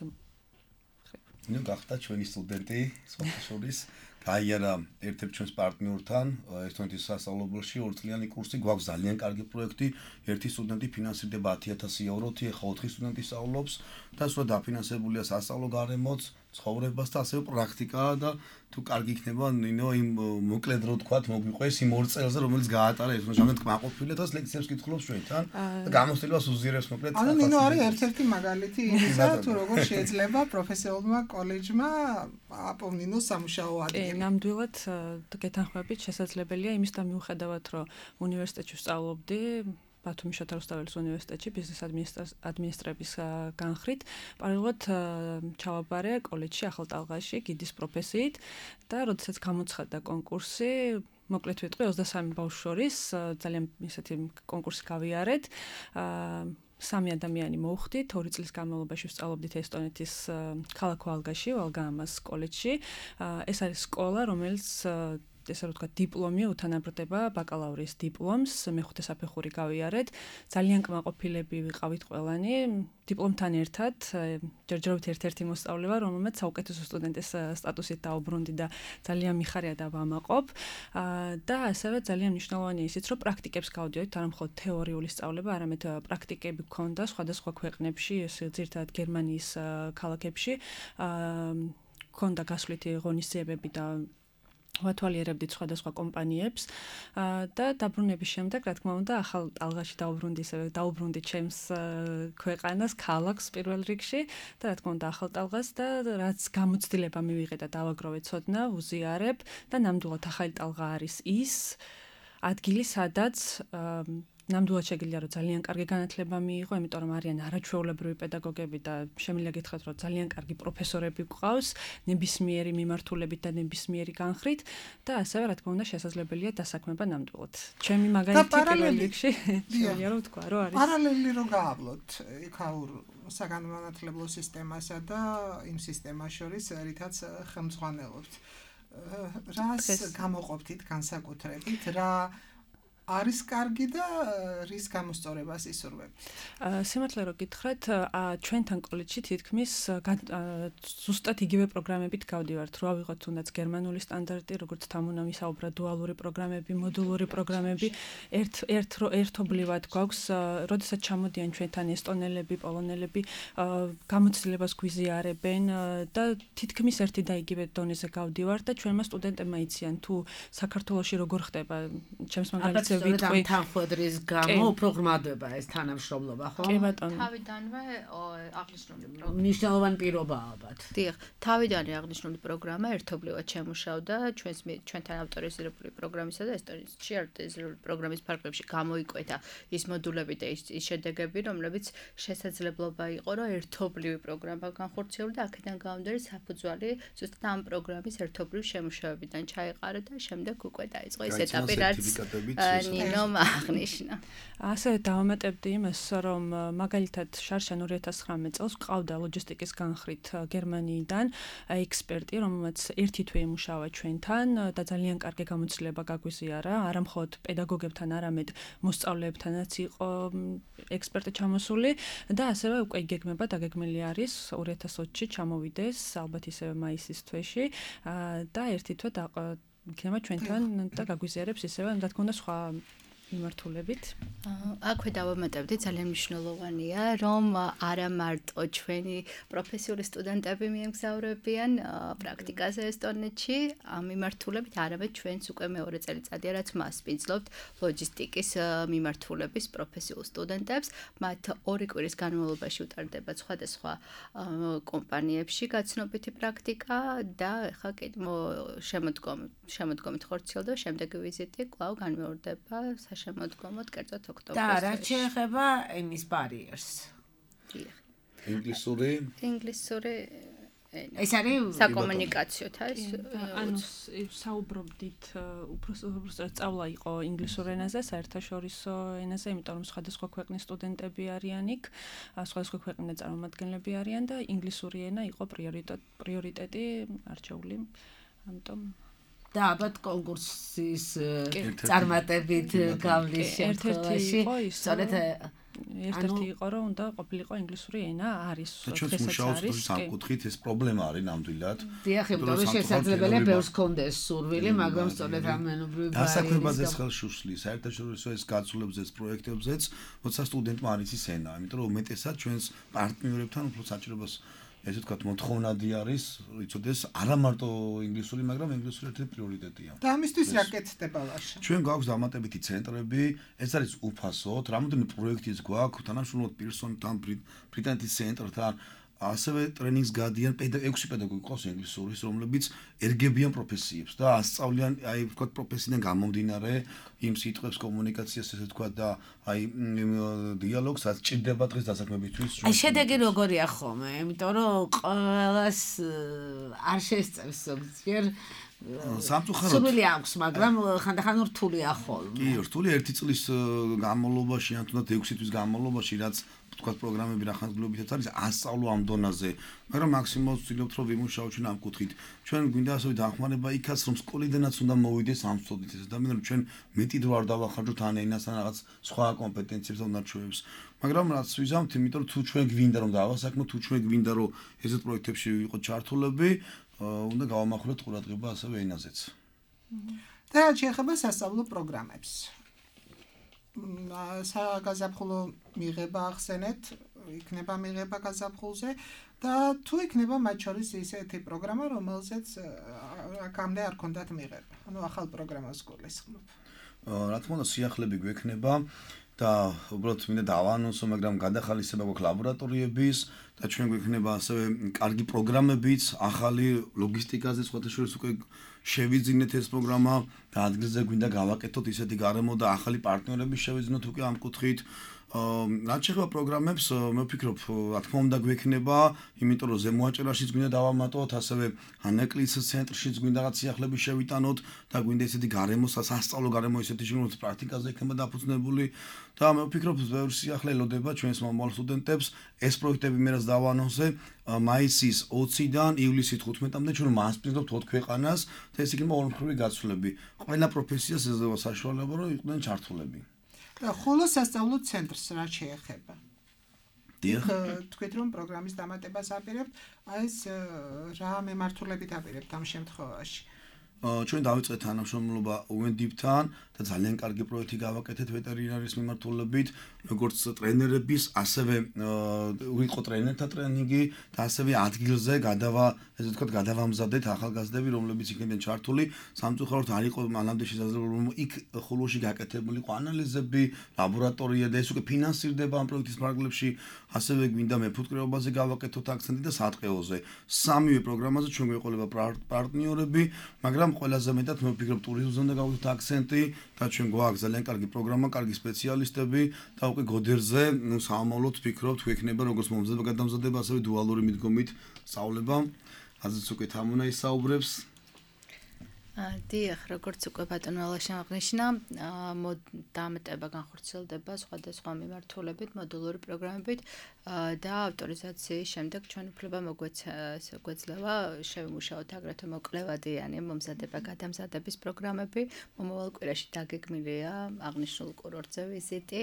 ნუ გახდა ჩვენი სტუდენტი, სოფიშორის, გაიარა ერთ-ერთ ჩვენს პარტნიორთან, ესტონეთის სასწავლებელში ორწლიანი კურსი, გვაქვს ძალიან კარგი პროექტი, ერთი სტუდენტი ფინანსირდება ათი ათასი ევროთი, ახლა ოთხი სტუდენტი სწავლობს და სულ დაფინანსებულია სასწავლო გარემოც, ცხოვრებას და ასევე პრაქტიკაა და თუ კარგი იქნება ნინო იმ მოკლედ რო თქვათ მოგვიყვეს იმ ორ წელზე რომელიც გაატარა ეს მომჟამეთ კმაყოფილი და ლექციებს კითხულობს ჩვენთან და გამოცდილებას უზიარებს მოკლედ ანუ ნინო არის ერთ-ერთი მაგალითი იმისა თუ როგორ შეიძლება პროფესიონალურმა კოლეჯმა აპოვნინოს სამუშაო ადგილი. ნამდვილად გეთანხმებით შესაძლებელია იმის და მიუხედავად რომ უნივერსიტეტში ვსწავლობდი ბათუმის შოთა რუსთაველის უნივერსიტეტში ბიზნეს ადმინისტრების განხრით, პარალელურად ჩავაბარე კოლეჯში ახალტალღაში გიდის პროფესიით და როდესაც გამოცხადდა კონკურსი, მოკლედ ვიტყვი ოცდასამი ბავშვს შორის ძალიან ისეთი კონკურსი გავიარეთ. სამი ადამიანი მოვხდით, ორი წლის განმავლობაში ვსწავლობდით ესტონეთის ქალაქ ვალგაში, ვალგაამას კოლეჯში. ეს არის სკოლა, რომელიც ესე რომ ვთქვათ, დიპლომი უთანაბრდება ბაკალავრის დიპლომს, მეხუთე საფეხური გავიარეთ. ძალიან კმაყოფილები ვიყავით ყველანი. დიპლომთან ერთად ჯერჯერობით ერთ-ერთი მოსწავლე ვარ, რომელმაც საუკეთესო სტუდენტის სტატუსით დაუბრუნდი და ძალიან მიხარია და ვამაყობ. და ასევე ძალიან მნიშვნელოვანია ისიც, რომ პრაქტიკებს გავდივართ, არა მხოლოდ თეორიული სწავლება, არამედ პრაქტიკები გქონდა სხვადასხვა ქვეყნებში, ძირითადად გერმანიის ქალაქებში. გქონდა გასვლითი ღონისძიებები და ვათვალიერებდით სხვადასხვა კომპანიებს და დაბრუნების შემდეგ, რა თქმა უნდა, ახალ ტალღაში დაუბრუნდი, ისევე დაუბრუნდი ჩემს ქვეყანას, ქალაქს პირველ რიგში და რა თქმა უნდა, ახალ ტალღას და რაც გამოცდილება მივიღე და დავაგროვე ცოდნა, ვუზიარებ და ნამდვილად ახალი ტალღა არის ის ადგილი, სადაც ნამდვილად შეგიძლია რომ ძალიან კარგი განათლება მიიღო, იმიტომ რომ არიან არაჩვეულებრივი პედაგოგები და შემიძლია გითხრათ რომ ძალიან კარგი პროფესორები გვყავს, ნებისმიერი მიმართულებით და ნებისმიერი განხრით და ასევე რა თქმა უნდა შესაძლებელია დასაქმება ნამდვილად. ჩემი მაგალითი პირველ რიგში შემიძლია რომ ვთქვა, რომ არის პარალელი რო გაავლოთ იქაურ საგანმანათლებლო სისტემასა და იმ სისტემას შორის რითაც ხელმძღვანელობთ. რას გამოყოფთ განსაკუთრებით, რა არის კარგი და რის გამოსწორებას ისურვებთ? სიმართლე რომ გითხრათ, ჩვენთან კოლეჯში თითქმის ზუსტად იგივე პროგრამებით გავდივართ, რო ავიღოთ თუნდაც გერმანული სტანდარტი, როგორც თამუნა მისაუბრა, დუალური პროგრამები, მოდულური პროგრამები, ერთ ერთ ერთობლივად გვაქვს, როდესაც ჩამოდიან ჩვენთან ესტონელები, პოლონელები, გამოცდილებას გვიზიარებენ და თითქმის ერთი და იგივე დონეზე გავდივართ და ჩვენმა სტუდენტებმა იციან თუ საქართველოში როგორ ხდება, ჩემს მაგალითზე ვიტყვი თანხმედრის გამო უფრო ღრმადდება ეს თანამშრომლობა, ხო? კი ბატონო. თავიდანვე აღნიშნული პროგრამა. მნიშვნელოვანი პირობაა ალბათ. დიახ, თავიდანვე აღნიშნული პროგრამა ერთობლივად შემუშავდა ჩვენს ჩვენთან ავტორიზირებული პროგრამისა და ესტონეთში ავტორიზირებული პროგრამის ფარგლებში გამოიკვეთა ის მოდულები და ის შედეგები, რომლებიც შესაძლებლობა იყო, რომ ერთობლივი პროგრამა განხორციელო და აქედან გამომდინარე საფუძვალი ზუსტად ამ პროგრამის ერთობლივ შემუშავებიდან ჩაეყარა და შემდეგ უკვე დაიწყო ეს ეტაპი, რაც ნინომ აღნიშნა. ასევე დავამატებდი იმას, რომ მაგალითად შარშან ორი ათას ცხრამეტ წელს ყავდა ლოჯისტიკის განხრით გერმანიიდან ექსპერტი, რომელმაც ერთი თვე იმუშავა ჩვენთან და ძალიან კარგი გამოცდილება გაგვიზიარა, არა მხოლოდ პედაგოგებთან, არამედ მოსწავლეებთანაც იყო ექსპერტი ჩამოსული და ასევე უკვე გეგმება დაგეგმილი არის ორი ათას ოცი ჩამოვიდეს ალბათ ისევე მაისის თვეში და ერთი თვე იქნება ჩვენთან და გაგვიზიარებს ისევე, რა თქმა უნდა, სხვა მიმართულებით. აქვე დავამატებდი, ძალიან მნიშვნელოვანია, რომ არა მარტო ჩვენი პროფესიული სტუდენტები მიემგზავრებიან პრაქტიკაზე ესტონეთში, ამ მიმართულებით, არამედ ჩვენც უკვე მეორე წელიწადია, რაც მასპინძლობთ ლოჯისტიკის მიმართულების პროფესიულ სტუდენტებს, მათ ორი კვირის განმავლობაში უტარდება სხვადასხვა კომპანიებში გაცნობითი პრაქტიკა და ახლა კიდე შემოდგომით შემოდგომით ხორციელდება შემდეგი ვიზიტი კვლავ განმეორდება შემოდგომოთ კერძოდ ოქტომბერში. და რაც შეეხება ენის ბარიერს. ინგლისური? ინგლისური ეს არის საკომუნიკაციოთა ეს ანუ საუბრობდით უბრალოდ სწავლა იყო ინგლისურ ენაზე, საერთაშორისო ენაზე, იმიტომ რომ სხვადასხვა ქვეყნის სტუდენტები არიან იქ, სხვადასხვა ქვეყნის წარმომადგენლები არიან და ინგლისური ენა იყო პრიორიტეტი არჩეული. ამიტომ და ალბათ კონკურსის წარმატებით გავლის შემთხვევაში სწორედ ერთ-ერთი იყო რომ უნდა ყოფილიყო ინგლისური ენა არის ჩვენს მუშაობს სამკუთხედით ეს პრობლემა არის ნამდვილად. დიახ, იმიტომ რომ შესაძლებელია ბევრს კონდეს სურვილი, მაგრამ სწორედ ამ მენუბრივი დასაქმებაზეც ხელს უშლის, საერთაშორისო ეს გაცვლებზეც, პროექტებზეც, როცა სტუდენტმა არის ის ენა, იმიტომ რომ უმეტესად ჩვენს პარტნიორებთან უფრო საჭიროებას ესე ვთქვათ, მოთხოვნადი არის, იცოდეს, არა მარტო ინგლისური, მაგრამ ინგლისური ერთ-ერთი პრიორიტეტია. და ამისთვის რა კეთდება ვაშა? ჩვენ გვაქვს დამატებითი ცენტრები, ეს არის უფასოდ, რამოდენიმე პროექტიც გვაქვს, თანამშრომლობთ პერსონთან, ბრიტანეთის ცენტრთან, ასევე ტრენინგს გადიან ექვსი პედაგოგი ყავს ინგლისურის, რომლებიც ერგებიან პროფესიებს და ასწავლიან, აი ვთქვათ, პროფესიიდან გამომდინარე იმ სიტყვებს, კომუნიკაციას, ესე ვთქვათ და აი დიალოგს, რაც ჭირდება დღეს დასაქმებისთვის. აი შედეგი როგორია ხოლმე, იმიტომ რომ ყველას არ შესწევს ზოგჯერ სამწუხაროდ სურვილი აქვს, მაგრამ ხანდახან რთულია ხოლმე. კი, რთული ერთი წლის განმავლობაში, ან თუნდაც ექვსი თვის განმავლობაში, რაც თქვათ პროგრამები რახანძგლობითაც არის ასწავლო ამ დონაზე, მაგრამ მაქსიმალურად ვცდილობთ რომ ვიმუშაოთ ჩვენ ამ კუთხით. ჩვენ გვინდა ასევე დახმარება იქაც რომ სკოლიდანაც უნდა მოვიდეს ამ სწოდით ეს ადამიანი რომ ჩვენ მეტი დრო არ დავახარჯოთ ან ენასთან რაღაც სხვა კომპეტენციებს და უნარჩვევებს. მაგრამ რაც ვიზამთ, იმიტომ რომ თუ ჩვენ გვინდა რომ დავასაქმოთ, თუ ჩვენ გვინდა რომ ესეთ პროექტებში ვიყოთ ჩართულები, უნდა გავამახვილოთ ყურადღება ასევე ენაზეც. და რაც შეეხება სასწავლო პროგრამებს. საგაზაფხულო მიღება ახსენეთ, იქნება მიღება გაზაფხულზე და თუ იქნება მათ შორის ისეთი პროგრამა, რომელზეც აქამდე არ ქონდათ მიღება. ანუ ახალ პროგრამას გულისხმობ. რა თქმა უნდა, სიახლეები გვექნება და უბრალოდ მინდა დავაანონსო, მაგრამ გადახალისება გვაქვს ლაბორატორიების და ჩვენ გვექნება ასევე კარგი პროგრამებიც, ახალი ლოგისტიკაზე სხვათა შორის უკვე შევიძინეთ ეს პროგრამა და ადგილზე გვინდა გავაკეთოთ ისეთი გარემო და ახალი პარტნიორები შევიძინოთ უკვე ამ კუთხით. რაც შეეხება პროგრამებს, მე ვფიქრობ, რა თქმა უნდა გვექნება, იმიტომ რომ ზემოაჭერაშიც გვინდა დავამატოთ, ასევე ანეკლის ცენტრშიც გვინდა რაღაც სიახლეები შევიტანოთ და გვინდა ესეთი გარემო, სასწავლო გარემო ესეთი შემოც პრაქტიკაზე იქნება დაფუძნებული და მე ვფიქრობ, ბევრი სიახლე ელოდება ჩვენს მომავალ სტუდენტებს. ეს პროექტები მე რაც დავანონსე, მაისის ოციდან ივლისის თხუთმეტამდე ჩვენ მასპინძლობთ ოთხ ქვეყანას და ეს იქნება ორმხრივი გაცვლები. ყველა პროფესიას ეძლევა საშუალება, რომ იყვნენ ჩართულები. და ხოლო სასწავლო ცენტრს რა შეეხება? დიახ. თქვით რომ პროგრამის დამატებას აპირებთ, აი ეს რა მემართულებით აპირებთ ამ შემთხვევაში? ჩვენ დავიწყეთ თანამშრომლობა იუ ენ დი პ-თან და ძალიან კარგი პროექტი გავაკეთეთ ვეტერინარიის მიმართულებით, როგორც ტრენერების, ასევე ვიყო ტრენერთა ტრენინგი და ასევე ადგილზე გადავა, ესე ვთქვათ, გადავამზადეთ ახალგაზრდები, რომლებიც იქნებიან ჩართული. სამწუხაროდ არ იყო მანამდე შესაძლებელი, რომ იქ ხოლოში გაკეთებულიყო ანალიზები, ლაბორატორია და ეს უკვე ფინანსირდება ამ პროექტის ფარგლებში, ასევე გვინდა მეფუტკრეობაზე გავაკეთოთ აქცენტი და სატყეოზე. სამივე პროგრამაზე ჩვენ გვეყოლება პარტნიორები, მაგრამ ყველაზე მეტად მე ვფიქრობ ტურიზმზე უნდა გავაკეთოთ აქცენტი და ჩვენ გვაქვს ძალიან კარგი პროგრამა, კარგი სპეციალისტები და უკვე გოდერზე, ნუ სამომავლოდ ვფიქრობთ, გვექნება როგორც მომზადება, გადამზადება, ასევე დუალური მიდგომით სწავლება. ასეც უკვე თამუნა ისაუბრებს. დიახ, როგორც უკვე ბატონო ალაშა აღნიშნა, დამატება განხორციელდება სხვადასხვა მიმართულებით, მოდულური პროგრამებით და ავტორიზაციის შემდეგ ჩვენ უფლება მოგვეძლევა შევიმუშაოთ აგრეთვე მოკლევადიანი მომზადება გადამზადების პროგრამები. მომავალ კვირაში დაგეგმილია აღნიშნულ კურორტზე ვიზიტი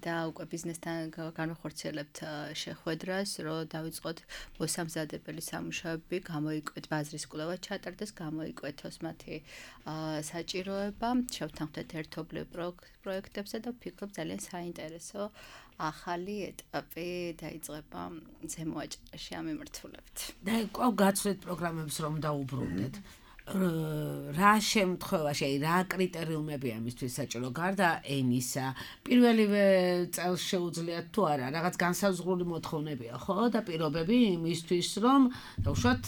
და უკვე ბიზნესთან განვახორციელებთ შეხვედრას, რომ დავიწყოთ მოსამზადებელი სამუშაოები, გამოიკვეთ ბაზრის კვლევა ჩატარდეს, გამოიკვეთოს მათი საჭიროება, შევთანხმდეთ ერთობლივ პროექტებზე და ვფიქრობ ძალიან საინტერესო ახალი ეტაპი დაიწყება ზემოაჭერაში ამ მიმართულებით. და კვლავ გაცვლით პროგრამებს რომ დაუბრუნდეთ. რა შემთხვევაში, რა კრიტერიუმები ამისთვის საჭირო გარდა ენისა, პირველივე წელს შეუძლიათ თუ არა, რაღაც განსაზღვრული მოთხოვნებია, ხო? და პირობები იმისთვის, რომ დავუშვათ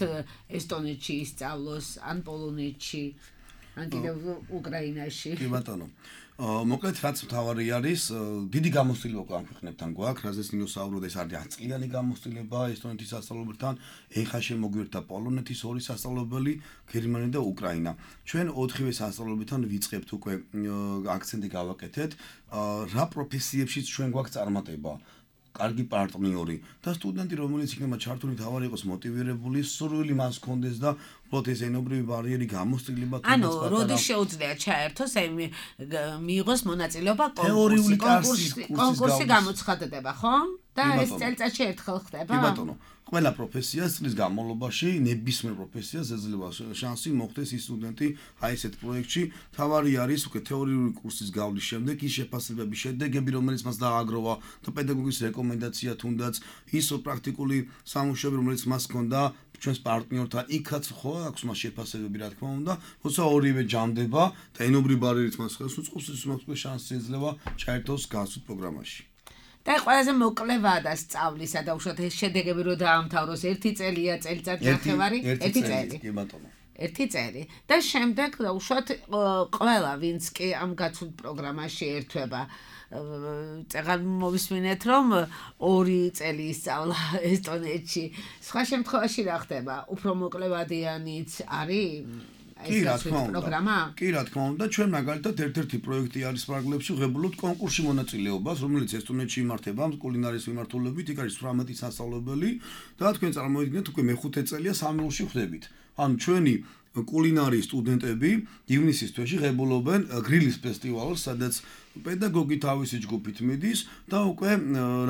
ესტონეთში ისწავლოს, ან პოლონეთში, ან კიდევ უკრაინაში. კი ბატონო. მოკლედ რაც მთავარი არის, დიდი გამოცდილება ამ ქვეყნებთან გვაქვს, რაზეც ნინოსაუბროთ, ეს არის ათი წლიანი გამოცდილება ესტონეთის სასწავლებელთან, ეხლა შემოგვიერთდა პოლონეთის ორი სასწავლებელი, გერმანია და უკრაინა. ჩვენ ოთხივე სასწავლებელთან ვიწყებთ უკვე აქცენტი გავაკეთეთ, რა პროფესიებშიც ჩვენ გვაქვს წარმატება. კარგი პარტნიორი და სტუდენტი, რომელიც იქნება ჩართული, თავარი იყოს მოტივირებული, სურვილი მას ჰქონდეს და უბრალოდ ეს ენობრივი ბარიერი გამოსწრილება თუნდაც ანუ როდის შეუძლია ჩაერთოს, აი მიიღოს მონაწილეობა კონკურსში, კონკურსი გამოცხადდება, ხო? და ეს წელიწადში ერთხელ ხდება? კი ბატონო. ყველა პროფესიას წლის განმავლობაში, ნებისმიერ პროფესიას ეძლევა შანსი მოხდეს ის სტუდენტი აი ესეთ პროექტში. თავარი არის უკვე თეორიული კურსის გავლის შემდეგ ის შეფასებების შედეგები, რომელიც მას დააგროვა და პედაგოგის რეკომენდაცია თუნდაც ის პრაქტიკული სამუშაოები, რომელიც მას ჰქონდა ჩვენს პარტნიორთან, იქაც ხო აქვს მას შეფასებები, რა თქმა უნდა, როცა ორივე ჯამდება და ენობრივი ბარიერით მას ხელს უწყობს, ის მას უკვე შანსი ეძლევა ჩაერთოს გასულ პროგრამაში. და ყველაზე მოკლევაა და სწავლისა და უშუალოდ ეს შედეგები რო დაამთავროს ერთი წელია, წელიწად ნახევარი, ერთი წელი. კი ბატონო. ერთი წელი. და შემდეგ უშუალოდ ყველა ვინც კი ამ გაცვლით პროგრამაში ერთვება, წეგან მოვისმინეთ, რომ ორი წელი ისწავლა ესტონეთში. სხვა შემთხვევაში რა ხდება? უფრო მოკლევადიანიც არის? კი, რა თქმა უნდა. კი, რა თქმა უნდა, ჩვენ მაგალითად ერთ-ერთი პროექტი არის ფარგლებში, ვღებულობთ კონკურსში მონაწილეობას, რომელიც ესტონეთში იმართება კულინარიის მიმართულებით, იქ არის ოცდაათი სასწავლებელი და თქვენ წარმოიდგინეთ, უკვე მეხუთე წელია სამეულში ხვდებით. ანუ ჩვენი კულინარიის სტუდენტები ივნისის თვეში ღებულობენ გრილის ფესტივალს, სადაც პედაგოგი თავისი ჯგუფით მიდის და უკვე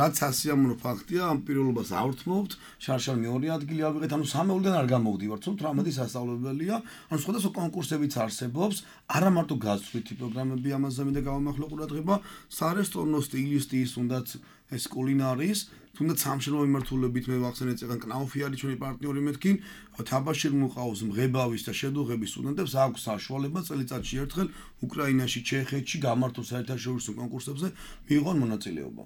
რაც სასიამოვნო ფაქტია, ამ პიროვნებას ავრთმობთ, შარშან მეორე ადგილი ავიღეთ, ანუ სამეულიდან არ გამოვდივართ, რომ ოცდაათი სასწავლებელია, ანუ სხვადასხვა კონკურსებიც არსებობს, არა მარტო გაცვლითი პროგრამები ამაზე მინდა გავამახვილო ყურადღება, სარესტორნო სტილისტის, თუნდაც ეს კულინარიის, თუნდაც სამშენებლო მიმართულებით მე ვახსენეთ წეგან კნაუფი არის ჩვენი პარტნიორი მეთქინ, თაბაშირ მუყაოს მღებავის და შედუღების სტუდენტებს აქვს საშუალება წელიწადში ერთხელ უკრაინაში, ჩეხეთში გამართოს საერთაშორისო კონკურსებზე მიიღონ მონაწილეობა.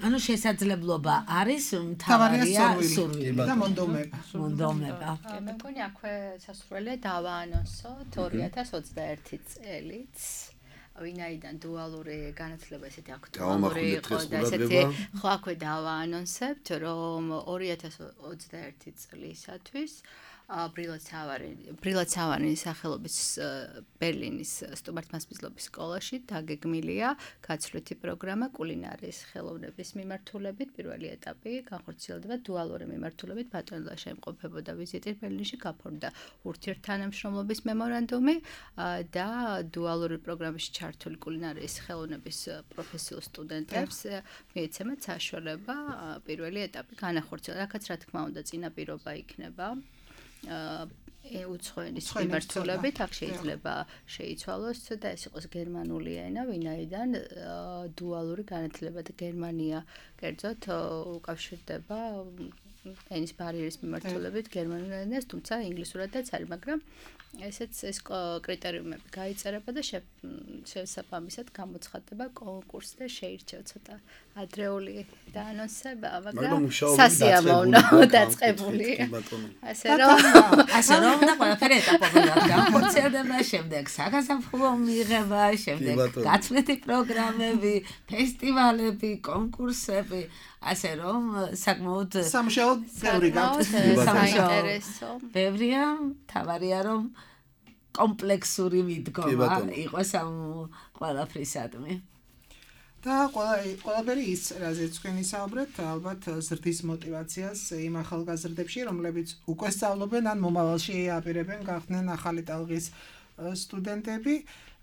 ანუ შესაძლებლობა არის, მთავარია სურვილი და მონდომება. მონდომება. მე მგონი აქვე სასურველია დავაანონსოთ ორი ათას ოცდაერთი წელიც. ვინაიდან დუალური განათლება ესეთი აქტუალური იყო და ესეთი ხო აქვე დავაანონსებთ, რომ ორი ათას ოცდაერთი წლისათვის ბრილაცავანის სახელობის ბერლინის სტუმართმასპინძლობის სკოლაში დაგეგმილია გაცვლითი პროგრამა კულინარიის ხელოვნების მიმართულებით. პირველი ეტაპი განხორციელდება დუალური მიმართულებით. ბატონელაში იმყოფებოდა ვიზიტი ბერლინში, გაფორმდა ურთიერთთანამშრომლობის მემორანდუმი და დუალური პროგრამაში ჩართული კულინარიის ხელოვნების პროფესიულ სტუდენტებს მიეცემათ საშუალება პირველი ეტაპი განახორციელონ. აქაც რა თქმა უნდა წინაპირობა იქნება უცხოენის მიმართულებით, აქ შეიძლება შეიცვალოს და ეს იყოს გერმანული ენა, ვინაიდან დუალური განათლება და გერმანია კერძოდ უკავშირდება ენის ბარიერის მიმართულებით გერმანულ ენას, თუმცა ინგლისურადაც არის, მაგრამ ესეც ეს კრიტერიუმები გაიწერება და შესაბამისად გამოცხადდება კონკურსი და შეირჩევა ცოტა ადრეული დაანონსება, მაგრამ სასიამოვნო დაწყებული. ასე რომ ასე რომ და ყველაფერი ეტაპობრივად განხორციელდება, შემდეგ საგაზაფხულო მიღება, შემდეგ გაცვლითი პროგრამები, ფესტივალები, კონკურსები, ასე რომ საკმაოდ სამშეო ბევრი საინტერესო. ბევრია, თავარია რომ კომპლექსური მიდგომა იყოს ამ ყველაფრისადმი. და ყველაფერი ის, რაზეც თქვენ ისაუბრეთ, ალბათ ზრდის მოტივაციას იმ ახალგაზრდებში, რომლებიც უკვე სწავლობენ ან მომავალში აპირებენ გახდნენ ახალი ტალღის სტუდენტები,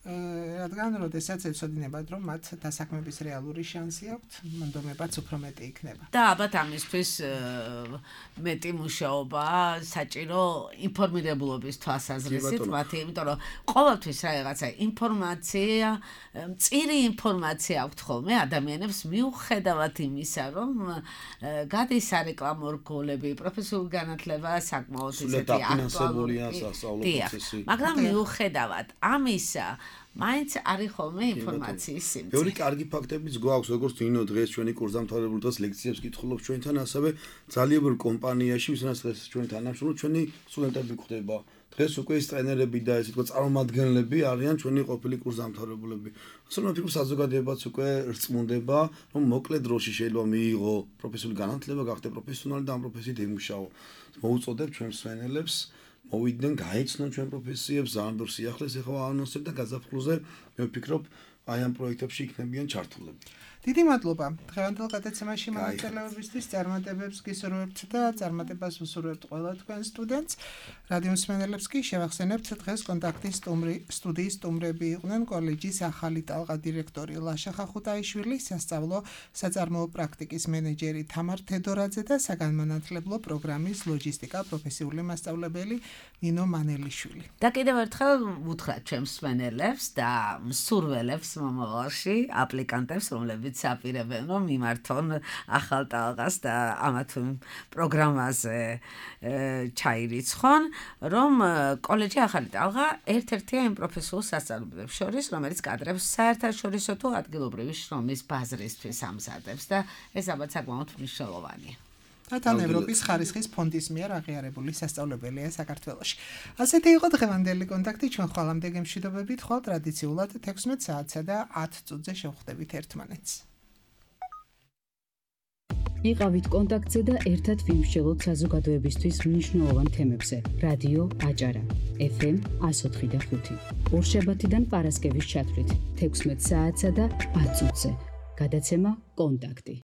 რადგან როდესაც ეცოდინებათ, რომ მათ დასაქმების რეალური შანსი აქვთ, მონდომებაც უფრო მეტი იქნება. და ალბათ ამისთვის მეტი მუშაობა საჭირო ინფორმირებულობის თვალსაზრისით მათი, იმიტომ რომ ყოველთვის რაღაცა ინფორმაცია, მწირი ინფორმაცია აქვთ ხოლმე ადამიანებს მიუხედავად იმისა, რომ გადის სარეკლამო რგოლები, პროფესიული განათლება საკმაოდ ისეთი აქტუალურია, მაგრამ მიუხედავად ამისა მაინც არის ხოლმე ინფორმაციის სიმწირე. ბევრი კარგი ფაქტებიც გვაქვს, როგორც ნინო დღეს ჩვენი კურსდამთავრებული დღეს ლექციებს კითხულობ ჩვენთან, ასევე ძალიან ბევრ კომპანიაში, ვისაც დღეს ჩვენ თანამშრომლობთ, ჩვენი სტუდენტები გვხდება. დღეს უკვე ის ტრენერები და ესე თქვა წარმომადგენლები არიან ჩვენი ყოფილი კურსდამთავრებულები. ასე რომ ფიქრობ საზოგადოებაც უკვე რწმუნდება, რომ მოკლე დროში შეიძლება მიიღო პროფესიული განათლება, გახდე პროფესიონალი და ამ პროფესიით ემუშაო. მოუწოდებ ჩვენ მსვენელებს მოვიდნენ, გაიცნონ ჩვენ პროფესიებს, ძალიან ბევრ სიახლეს ეხლა აანონსებ და გაზაფხულზე მე ვფიქრობ, აი ამ პროექტებში იქნებიან ჩართულები. დიდი მადლობა. დღევანდელ გადაცემაში მონაწილეობისთვის წარმატებებს გისურვებთ და წარმატებას უსურვებთ ყველა თქვენ სტუდენტს. რადიო მსმენელებს კი შევახსენებთ, დღეს კონტაქტის სტუდიის სტუმრები იყვნენ კოლეჯის ახალი ტალღა დირექტორი ლაშა ხახუტაიშვილი, სასწავლო საწარმოო პრაქტიკის მენეჯერი თამარ თედორაძე და საგანმანათლებლო პროგრამის ლოჯისტიკა პროფესიული მასწავლებელი ნინო მანელიშვილი. და კიდევ ერთხელ ვუთხრათ ჩვენ მსმენელებს და მსურველებს მომავალში აპლიკანტებს, რომლებიც აპირებენ რომ მიმართონ ახალ ტალღას და ამათ პროგრამაზე ჩაირიცხონ, რომ კოლეჯი ახალი ტალღა ერთ-ერთია იმ პროფესიულ სასწავლებლებს შორის, რომელიც კადრებს საერთაშორისო თუ ადგილობრივი შრომის ბაზრისთვის ამზადებს და ეს ალბათ საკმაოდ მნიშვნელოვანია. და თან ევროპის ხარისხის ფონდის მიერ აღიარებული სასწავლებელია საქართველოში. ასეთი იყო დღევანდელი კონტაქტი, ჩვენ ხვალამდე გემშვიდობებით, ხვალ ტრადიციულად თექვსმეტ საათსა და ათ წუთზე შევხვდებით ერთმანეთს. იყავით კონტაქტზე და ერთად ვიმსჯელოთ საზოგადოებისთვის მნიშვნელოვან თემებზე. რადიო აჭარა, ეფ ემ εκατო ოთხი და ხუთი. ორშაბათიდან პარასკევის ჩათვლით თექვსმეტ საათსა და ათ წუთზე. გადაცემა კონტაქტი.